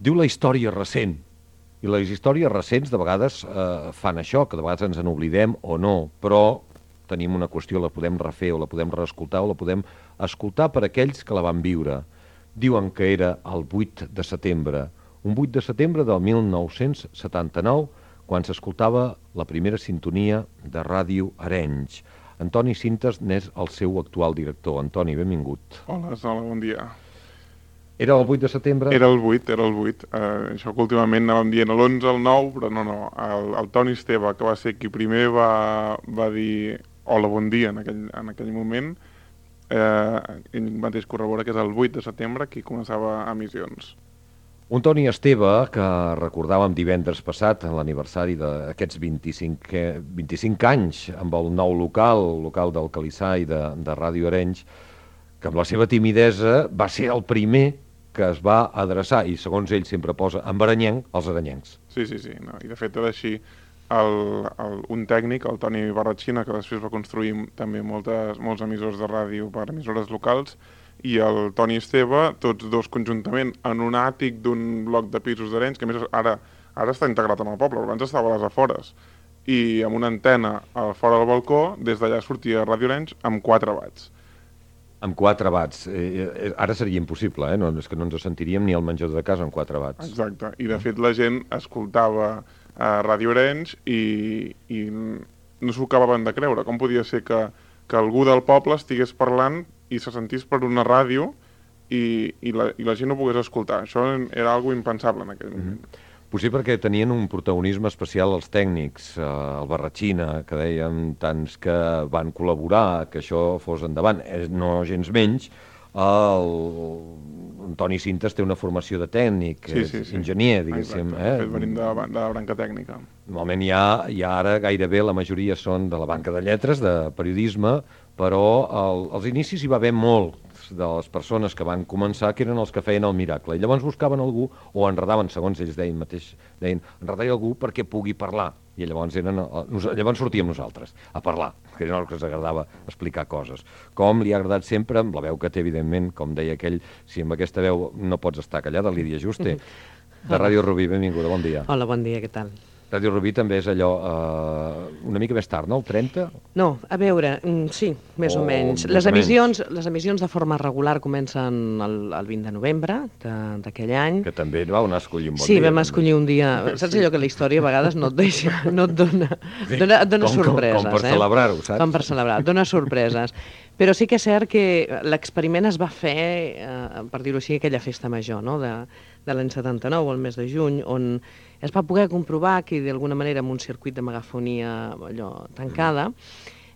diu la història recent. I les històries recents de vegades fan això, que de vegades ens n'oblidem o no, però tenim una qüestió, la podem refer o la podem reescoltar o la podem escoltar per aquells que la van viure. Diuen que era el 8 de setembre, un 8 de setembre del 1979, quan s'escoltava la primera sintonia de Ràdio Arenys. Antoni Sintes n'és el seu actual director. Antoni, benvingut. Hola, bon dia. Era el 8 de setembre? Era el 8. Això que últimament anàvem dient l'11, el 9, però no. El Toni Esteve, que va ser qui primer va dir hola, bon dia en aquell moment, ell mateix corrobora que és el 8 de setembre qui començava emissions. Un Toni Esteve que recordàvem divendres passat, en l'aniversari d'aquests 25 anys amb el nou local del Calissà i de Ràdio Arenys, que amb la seva timidesa va ser el primer que es va adreçar, i segons ell sempre posa en arenyenc, als arenyencs. Sí, no. I de fet era així. Un tècnic, el Toni Barratxina, que després va construir també molts emissors de ràdio per emissores locals, i el Toni Esteve, tots dos conjuntament, en un àtic d'un bloc de pisos d'Arenys, que a més ara està integrat en el poble, abans estava a les afores, i amb una antena fora del balcó, des d'allà sortia Ràdio Arenys amb 4 watts. Amb 4 watts. Ara seria impossible, no? És que no ens sentiríem ni al menjador de casa amb 4 watts. Exacte, i de fet la gent escoltava Ràdio Arenys i no s'ho acabaven de creure. Com podia ser que algú del poble estigués parlant i se sentís per una ràdio i la gent no pogués escoltar? Això era algo impensable en aquell moment. Potser perquè tenien un protagonisme especial els tècnics, el Barratxina, que dèiem tants que van col·laborar, que això fos endavant, no gens menys. El Toni Sintes té una formació de tècnic, és enginyer, diguéssim. De fet, venim de la branca tècnica. Normalment ja ara gairebé la majoria són de la banca de lletres, de periodisme, però als inicis hi va haver molt de les persones que van començar que eren els que feien el miracle, i llavors buscaven algú o enredaven, segons ells deien enredar algú perquè pugui parlar, i llavors sortíem nosaltres a parlar, que era el que ens agradava explicar coses, com li ha agradat sempre, amb la veu que té evidentment, com deia aquell, si amb aquesta veu no pots estar callada, Lídia Juste, de Ràdio Rubí. Benvinguda, bon dia. Hola, bon dia, què tal? Ràdio Rubí també és allò una mica més tard, no? El 30? No, a veure, sí, més o menys. Les emissions de forma regular comencen el 20 de novembre d'aquell any. Que també vau anar a escollir un bon dia. Sí, vam escollir un dia. Saps allò que la història a vegades no et deixa, no et dona sorpreses. Com per celebrar-ho, saps? Com per celebrar, et dona sorpreses. Però sí que és cert que l'experiment es va fer, per dir-ho així, aquella festa major, no?, de l'any 79, al mes de juny, on es va poder comprovar que d'alguna manera amb un circuit de megafonia allò tancada,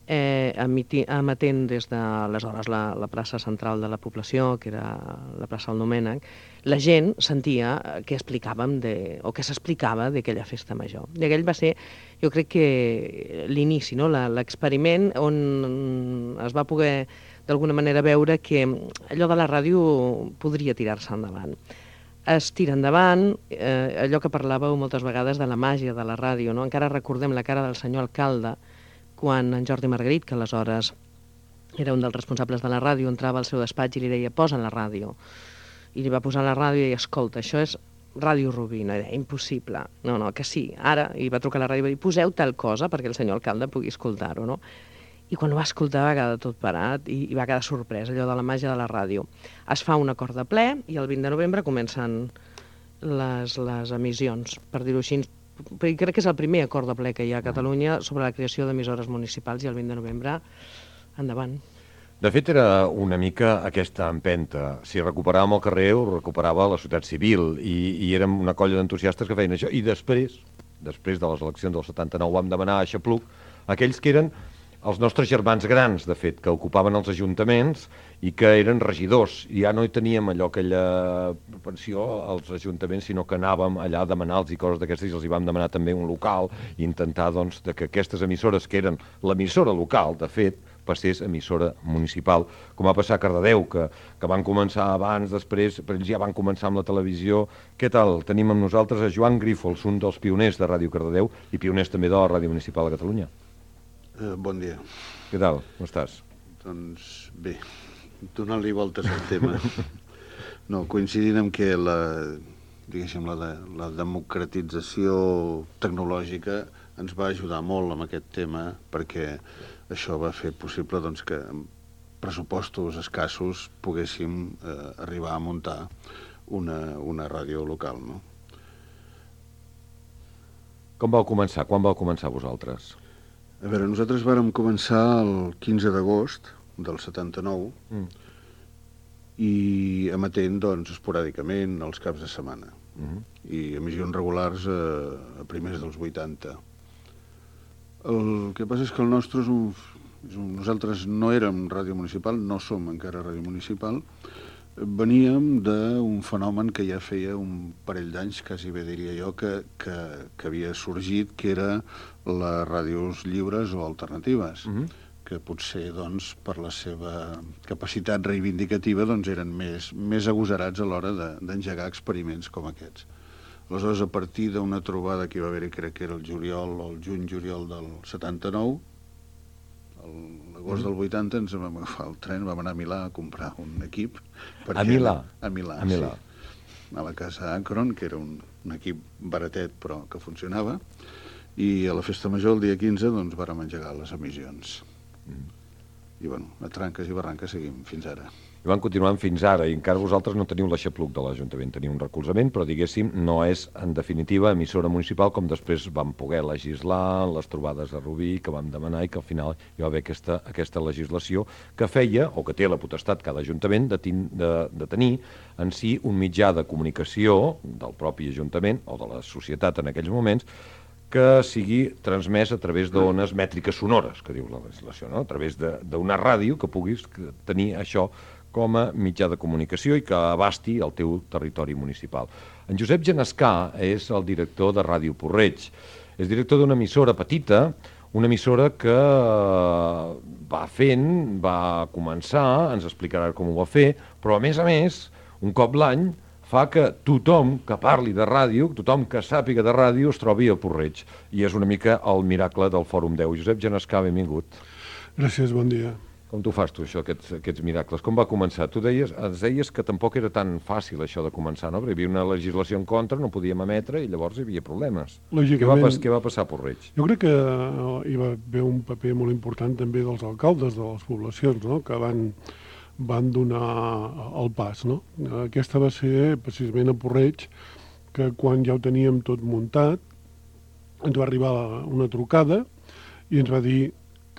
emetent des d'aleshores la plaça central de la població, que era la plaça del Domènec, la gent sentia què explicàvem o què s'explicava d'aquella festa major. I aquell va ser, jo crec que l'inici, no?, l'experiment on es va poder d'alguna manera veure que allò de la ràdio podria tirar-se endavant. Es tira endavant, allò que parlàveu moltes vegades de la màgia de la ràdio, no? Encara recordem la cara del senyor alcalde quan en Jordi Margarit, que aleshores era un dels responsables de la ràdio, entrava al seu despatx i li deia posa la ràdio. I li va posar la ràdio i deia escolta, això és Ràdio Rubí. No, era impossible. No, que sí, ara. I va trucar a la ràdio i va dir poseu tal cosa perquè el senyor alcalde pugui escoltar-ho, no? I quan ho va escoltar va quedar tot parat i va quedar sorprès, allò de la màgia de la ràdio. Es fa un acord de ple i el 20 de novembre comencen les emissions, per dir-ho així. Crec que és el primer acord de ple que hi ha a Catalunya sobre la creació d'emissores municipals i el 20 de novembre, endavant. De fet, era una mica aquesta empenta. Si recuperàvem el carrer, ho recuperava la societat civil i érem una colla d'entusiastes que feien això. I després de les eleccions del 79, vam demanar a Xapluc aquells que eren els nostres germans grans, de fet, que ocupaven els ajuntaments i que eren regidors. I ja no hi teníem aquella pensió als ajuntaments, sinó que anàvem allà a demanar-los i coses d'aquestes, i els hi vam demanar també un local i intentar doncs, que aquestes emissores, que eren l'emissora local, de fet, passés emissora municipal, com va passar a Cardedeu, que van començar abans, després, però ells ja van començar amb la televisió. Què tal? Tenim amb nosaltres a Joan Grífols, un dels pioners de Ràdio Cardedeu i pioners també de la Ràdio Municipal de Catalunya. Bon dia. Què tal? Com estàs? Doncs bé, donant-li voltes al tema. No, coincidint amb que diguéssim, la democratització tecnològica ens va ajudar molt amb aquest tema, perquè això va fer possible doncs, que amb pressupostos escassos poguéssim arribar a muntar una ràdio local, no? Com vau començar? Quan vau començar vosaltres? A veure, nosaltres vàrem començar el 15 d'agost del 79 i emetent, doncs, esporàdicament els caps de setmana. I emissions regulars a primers dels 80. El que passa és que el nostre nosaltres no érem ràdio municipal, no som encara ràdio municipal, veníem d'un fenomen que ja feia un parell d'anys, quasi bé diria jo, que havia sorgit, que era les ràdios lliures o alternatives, que potser, doncs, per la seva capacitat reivindicativa, doncs, eren més agosarats a l'hora d'engegar experiments com aquests. Aleshores, a partir d'una trobada que hi va haver, crec que era el juny-juliol del 79, l'agost del 80 ens vam agafar el tren, vam anar a Milà a comprar un equip. A Milà? A Milà, a Milà. Sí. A la casa Akron, que era un equip baratet però que funcionava, i a la festa major, el dia 15, doncs vàrem engegar les emissions. I bueno, a tranques i barranques seguim fins ara. I van continuant fins ara, i encara vosaltres no teniu l'aixapluc de l'Ajuntament, teniu un recolzament, però diguéssim, no és, en definitiva, emissora municipal, com després vam poder legislar, les trobades a Rubí, que vam demanar, i que al final hi va haver aquesta legislació que feia, o que té la potestat cada Ajuntament, de tenir en si un mitjà de comunicació del propi Ajuntament, o de la societat en aquells moments, que sigui transmès a través d'ones mètriques sonores, que diu la legislació, no? A través d'una ràdio que puguis tenir això com a mitjà de comunicació i que abasti el teu territori municipal. En Josep Genescà és el director de Ràdio Porreig. És director d'una emissora petita, una emissora que va començar, ens explicarà com ho va fer, però a més, un cop l'any, fa que tothom que parli de ràdio, tothom que sàpiga de ràdio, es trobi a Porreig. I és una mica el miracle del Fòrum 10. Josep Genescà, benvingut. Gràcies, bon dia. Com t'ho fas tu, això, aquests miracles? Com va començar? Ens deies que tampoc era tan fàcil això de començar, no? Perquè hi havia una legislació en contra, no podíem emetre i llavors hi havia problemes. Lògicament. Què va passar a Porreig? Jo crec que hi va haver un paper molt important també dels alcaldes de les poblacions, no? Que van donar el pas, no? Aquesta va ser precisament a Porreig, que quan ja ho teníem tot muntat, ens va arribar una trucada i ens va dir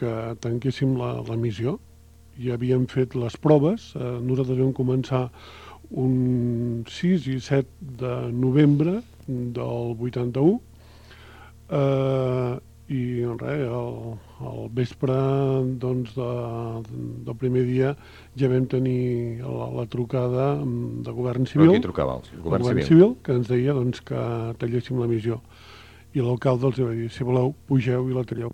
que tanquéssim l'emissió. Ja havíem fet les proves, nosaltres vam començar un 6 i 7 de novembre del 81, i res, al vespre doncs, del primer dia ja vam tenir la trucada de Govern Civil. Però qui trucava? El Govern Civil, que ens deia doncs, que talléssim l'emissió. I l'alcalde els va dir, si voleu, pugeu i la talleu.